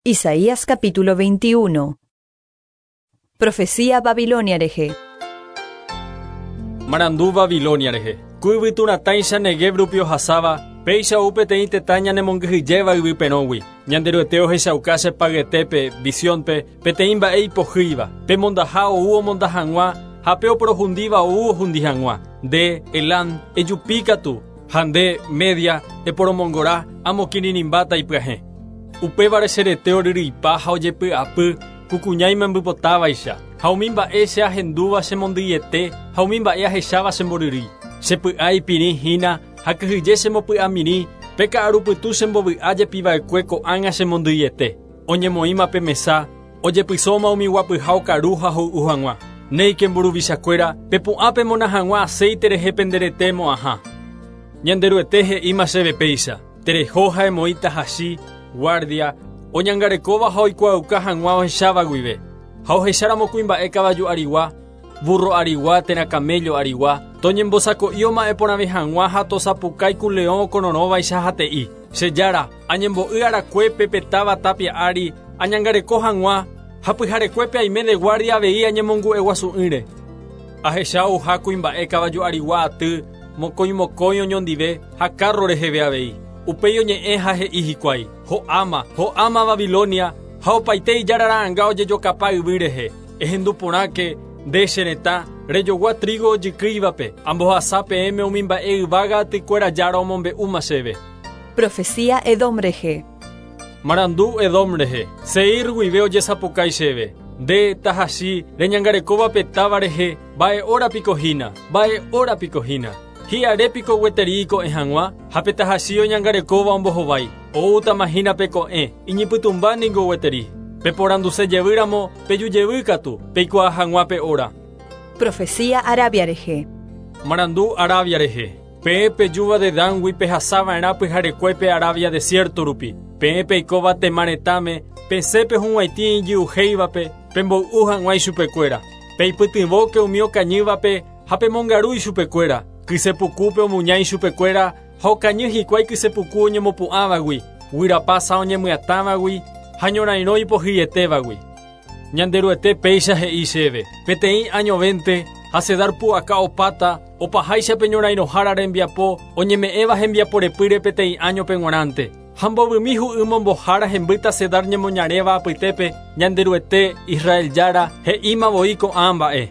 Isaías capítulo 21. Profecía Babilonia rehe. Marandu Babilonia rehe. Ku yvytu ratãicha Neguev rupi ohasáva, péicha ou peteĩ tetã ñanemongyhyjéva yvy perõgui. Ñanderuete ohechauka che payetépe, visiónpe, peteĩ mba'e ipohýiva. Pe mondaha ou omonda hag̃ua ha pe oporohundíva ou ohundi hag̃ua. Nde, Elam, ejupi katu, ha nde, Media, eporomongora, amokirirĩmbáta ipyahẽ. Upévare che rete oryryipa ha ojepy'apy ku kuña imembypotávaicha, ha umi mba'e che ahendúva chemondyiete ha umi mba'e ahecháva chemboryrýi. Che py'a ipirĩ hína ha kyhyje chembopy'amirĩ, pe ka'arupytũ chembovy'a jepi va'ekue ko'ág̃a chemondyiete. Oñemoĩma pe mesa, ojepysóma umi guapyha okaru ha hoy'u hag̃ua. Néike mburuvichakuéra, pepu'ã pemona hag̃ua aséite rehe pende rete mo'ãha. Ñanderuete he'íma chéve péicha, Tereho ha emoĩ tahachi, guardia, oñangarekóva ha oikuaauka hag̃ua ohecháva guive. Ha ohecháramo kuimba'e kavaju arigua, burro arigua térã camello arigua, toñembosako'i oma'ẽ porãve hag̃ua ha tosapukái ku leõ okororõvaicha ha te'i, Che Jára, añembo'y arakuépe pe táva tápia ári añangareko hag̃ua, ha pyharekuépe aime de guardia avei añemongu'eguasu'ỹre. Ahecha ouha kuimba'e kavaju arigua aty, mokõi mokõi oñondive ha kárro reheve avei. Upéi oñe'ẽ ha he'i hikuái, Ho'áma, ho'áma Babilonia, ha opaite ijára ra'ãnga ojejokapa yvy rehe. Ehendu porãke, nde che retã, rejogua trígo ojykýivape, ambohasa peẽme umi mba'e yvága atykuéra Jára omombe'úma chéve. Profecía Edom rehe. Marandu Edom rehe. Seir guive ojesapukái chéve, Nde, tahachi, reñangarekóva pe táva rehe, mba'e óra piko hína, mba'e óra piko hína. Hi'are piko gueteri iko'ẽ hag̃ua? Ha pe tahachi oñangarekóva ombohovái, Oútama hína pe ko'ẽ, iñypytũmba ningo gueteri. Peporanduse jevy ramo, peju jevy katu, peikuaa hag̃ua pe óra. Profecía Arabia rehe. Marandu Arabia rehe. Peẽ pejúva Dedángui pehasa va'erã pyharekuépe Arabia desiérto rupi. Peẽ peikóva Tema retãme, pesẽ pehug̃uaitĩ ijy'uhéivape, pemboy'u hag̃ua ichupekuéra. Peipytyvõke umi okañývape ha pemongaru ichupekuéra. Kyse pukúpe omuña ichupekuéra ha okañy hikuái kyse puku oñemopu'ãvagui, guyrapa sã oñemyatãvagui ha ñorairõ ipohyietévagui. Ñanderuete péicha he'i chéve, Peteĩ añovénte ha Cedar pu'aka opáta, opaháicha pe ñorairõhára rembiapo oñeme'ẽva hembiapo repýre peteĩ áñope g̃uarãnte. Ha mbovymi hu'y mombohára hembýta Cedar ñemoñaréva apytépe, Ñanderuete, Israel Jára, he'íma voi ko'ã mba'e.